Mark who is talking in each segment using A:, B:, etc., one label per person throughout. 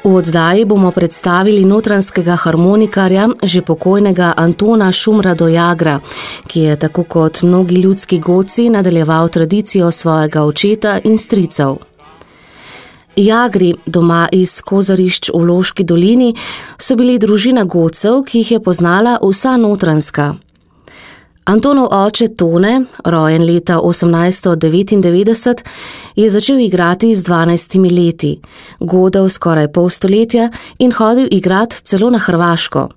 A: V oddaji bomo predstavili notranjskega harmonikarja, že pokojnega Antona Šumra Dojagra, ki je tako kot mnogi ljudski godci nadaljeval tradicijo svojega očeta in stricev. Jagri, doma iz Kozarišč v Loški dolini, so bili družina godcev, ki jih je poznala vsa Notranjska. Antonov oče Tone, rojen leta 1899, je začel igrati z 12 leti, godel skoraj pol stoletja in hodil igrati celo na Hrvaško.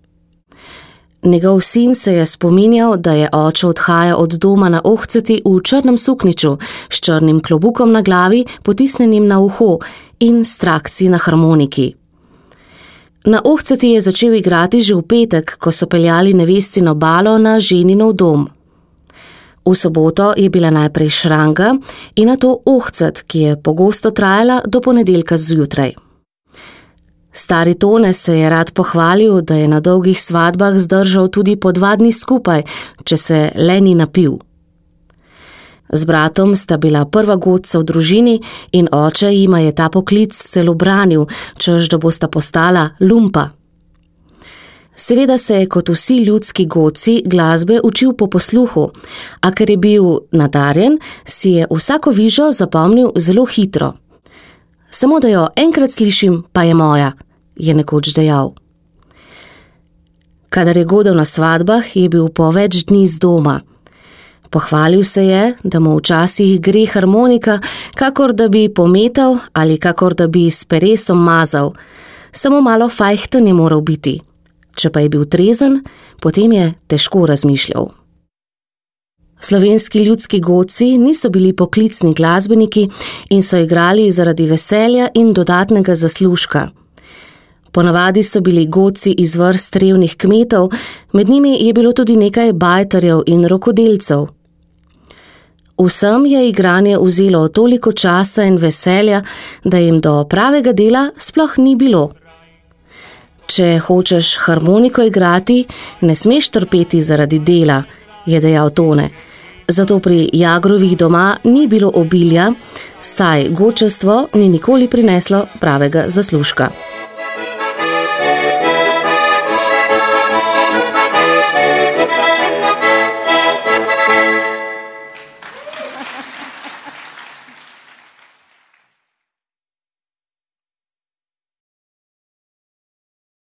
A: Njegov sin se je spominjal, da je oče odhajal od doma na ohceti v črnem sukniču s črnim klobukom na glavi, potisnenim na uho in s trakci na harmoniki. Na ohceti je začel igrati že v petek, ko so peljali nevestino balo na ženinov dom. V soboto je bila najprej šranga in nato ohcet, ki je pogosto trajala do ponedeljka zjutraj. Stari Tone se je rad pohvalil, da je na dolgih svadbah zdržal tudi po 2 dni skupaj, če se le ni napil. Z bratom sta bila prva godca v družini in oče jima je ta poklic celo branil, češ da bosta postala lumpa. Seveda se je kot vsi ljudski godci glasbe učil po posluhu, a ker je bil nadarjen, si je vsako vižo zapomnil zelo hitro. Samo da jo enkrat slišim, pa je moja, je nekoč dejal. Kadar je godel na svadbah, je bil po več dni z doma. Pohvalil se je, da mu včasih gre harmonika, kakor da bi pometal ali kakor da bi s peresom mazal. Samo malo fajhten je moral biti. Če pa je bil trezen, potem je težko razmišljal. Slovenski ljudski godci niso bili poklicni glasbeniki in so igrali zaradi veselja in dodatnega zaslužka. Ponavadi so bili godci iz vrst revnih kmetov, med njimi je bilo tudi nekaj bajtarjev in rokodelcev. Vsem je igranje vzelo toliko časa in veselja, da jim do pravega dela sploh ni bilo. Če hočeš harmoniko igrati, ne smeš trpeti zaradi dela, je dejal Tone. Zato pri Jagrovih doma ni bilo obilja, saj godčevstvo ni nikoli prineslo pravega zaslužka.